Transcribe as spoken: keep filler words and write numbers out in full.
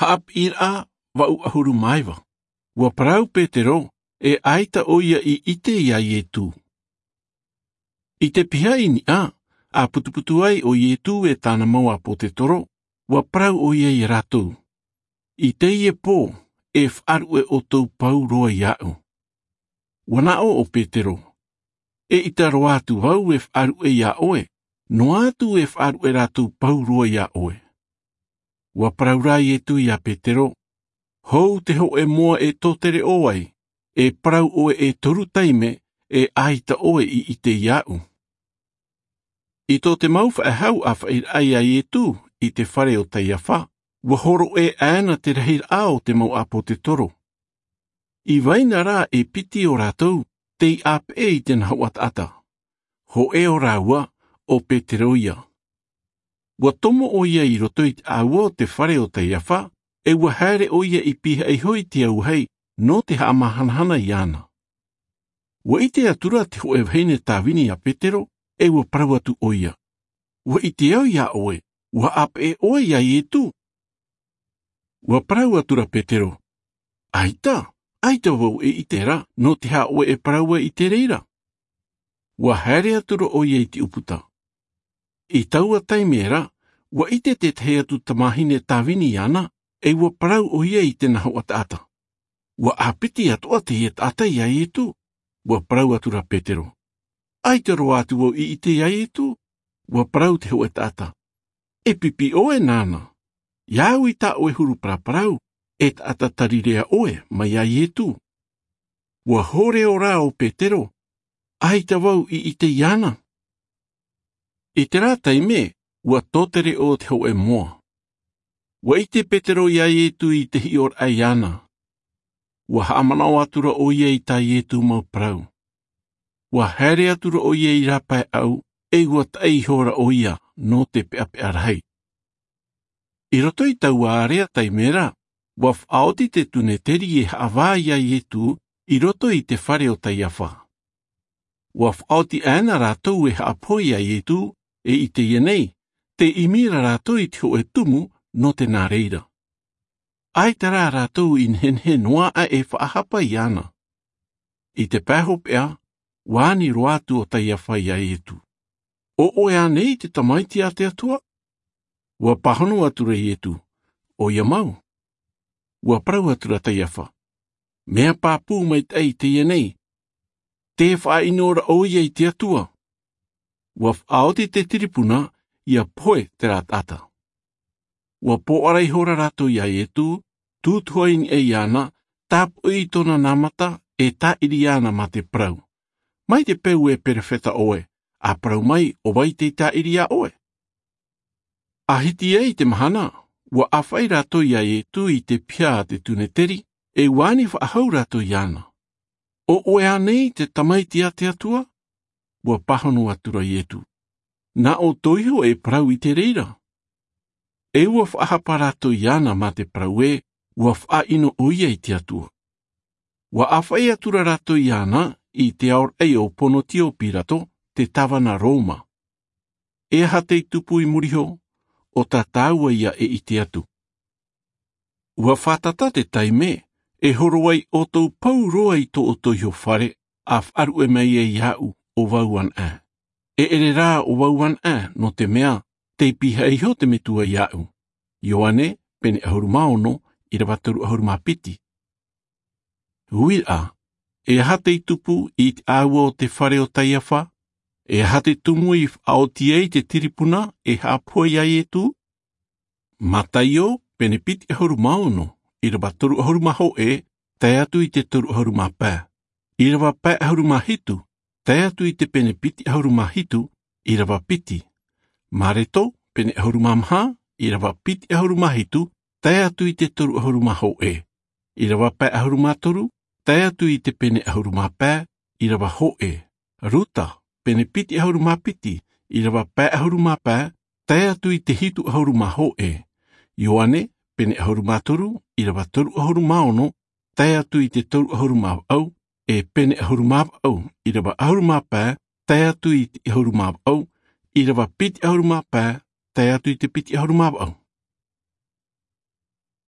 Haʻapiʻiraʻa vaʻu ʻahuru mā iva. Ua parau petero, e ʻaita ʻo ia i ʻite iā ietū. I te pihaʻi niʻa, a putuputu ai ʻo ietū e tāna mau ʻāpōsetolo, ua parau ʻo ia iā rātou, i teie pō, e faʻaruʻe ʻoutou pauroa iāʻu. Ua naʻo ʻo petero, e ʻita roa atu vau e faʻaruʻe iā ʻoe, noa atu e faʻaruʻe rātou pauroa iā ʻoe. Ua parau rā ietū iā petero, hou te hoʻe moa e tōtereʻo ai, e parau ʻoe e toru taime, e ʻaita ʻoe i ʻite iāʻu. I tō te mau faʻehau ʻāfaʻiraʻa iā ietū i te fare o kaiafa, ua horoʻa ʻāna te rahiraʻa o te mau ʻāpōsetolo. I vai na rā e piti o rātou tei ʻāpeʻe i te nahoʻa taʻata. Hoʻe o rāua, ʻo petero ia. Ua tomo ʻo ia i roto i te ʻāua o te fare o kaiafa, e ua haere ʻo ia i pihaʻi iho i te auahi nō te haʻamahanahana iāna. Ua ʻite atu rā te hoʻe vahine tāvini iā petero, e ua parau atu ʻo ia, ua ʻite au iā ʻoe, ua ʻāpeʻe ʻoe iā ietū. Ua parau atu rā petero, ʻaita, ʻaita vau e ʻite ra nō te aha ʻoe e parau ai i te reira. Ua haere atu rā ʻo ia i te ʻūputa. I taua taime ra, ua ʻite tētahi atu tamahine tāvini iāna, e ua parau ʻo ia i te nahoʻa taʻata, ua ʻāpiti atoʻa teie taʻata iā ietū. Ua parau atu rā petero, ʻaita roa atu vau i ʻite iā ietū. Ua parau te hoʻe taʻata, e pipi ʻoe nāna. Ia au i tā ʻoe huru paraparau, e taʻata tarirea ʻoe mai iā ietū. Ua hōrero rā ʻo petero, ʻaita vau i ʻite iāna. I terā taime, ua tōtereʻo te hoʻe moa. Ua ʻite petero iā ietū i te hiʻoraʻa iāna. Ua haʻamanaʻo atu rā ʻo ia i tā ietū mau parau. Ua haere atu rā ʻo ia i rāpae ʻau, e ua taʻi iho rā ʻo ia nō te peʻapeʻa rahi. I roto i taua area taime ra, ua faʻaoti te tuneteri e haʻavā iā ietū i roto i te fare o kaiafa. Ua faʻaoti ʻāna rātou e haʻapohe iā ietū, e i teie nei, tei ʻimi ra rātou i te hoʻe tumu nō te nā reira. ʻAita rā rātou i nehenehe noa aʻe e faʻahapa iāna. I te pae hopeʻa, ua ani roa atu ʻo kaiafa iā ietū, ʻo ʻoe ānei te tamaiti a te atua? Ua pāhono atu rā ietū, ʻoia mau. Ua parau atu rā kaiafa, mea pāpū maitaʻi teie nei, tē faʻaʻino ra ʻo ia i te atua. Ua faʻaoti te tiripuna ia pohe terā taʻata. Ua pōʻara iho rā rātou iā ietū, tūtuha i niʻa iāna, tāpoʻi i tōna nā mata, e tāʻiri iāna mā te parau, mai te peu e perofeta ʻoe, a parau mai ʻo vai tei tāʻiri iā ʻoe. A hiti ai te mahana, ua ʻāfaʻi rātou iā ietū i te piha a te tuneteri, e ua ani faʻahou rātou iāna, ʻo ʻoe ānei te tamaiti a te atua? Ua pāhono atu rā ietū, nā ʻoutou iho e parau i te reira. E ua faʻahapa rātou iāna mā te parau ē, ua faʻaʻino ʻo ia i te atua. Ua ʻāfaʻi atu rā rātou iāna i te aoraʻi o ponotio pilato, te tāvana roma, e aha tei tupu i muri iho? ʻO tā tāua ia e ʻite atu. Ua fātata te taime e horo ai ʻoutou pauroa i tō ʻoutou iho fare, a faʻaruʻe mai ai iāʻu ʻo vau anaʻe. E ʻere rā ʻo vau anaʻe, nō te mea tei pihaʻi iho te metua iāʻu. Ioane, pene ʻahuru mā ono, ʻirava toru ʻahuru mā piti. Uiraʻa, e aha tei tupu i te ʻāua o te fare o kaiafa? E aha te tumu i faʻaoti ai te tiripuna e haʻapohe iā ietū? Mataio, pene piti ʻahuru mā ono, ʻirava toru ʻahuru mā hōʻē, tae atu i te toru ʻahuru mā pae. ʻIrava pae ʻahuru mā hitu, tae atu i te pene piti ʻahuru mā hitu, ʻirava piti. Mareto, pene ʻahuru mā maha, ʻirava piti ʻahuru mā hitu, tae atu i te toru ʻahuru mā hōʻē. ʻIrava pae ʻahuru mā toru, tae atu i te pene ʻahuru mā pae, ʻirava hōʻē. Ruta, pene piti ʻahuru mā piti, ʻirava pae ʻahuru mā pae, tae atu i te hitu ʻahuru mā hōʻē. Ioane, pene ʻahuru mā toru, ʻirava toru ʻahuru mā ono, tae atu i te toru ʻahuru mā vaʻu, e pene ʻahuru mā vaʻu, ʻirava ʻahuru mā pae, tae atu i te ʻahuru mā vaʻu, ʻirava piti ʻahuru mā pae, tae atu i te piti ʻahuru mā vaʻu.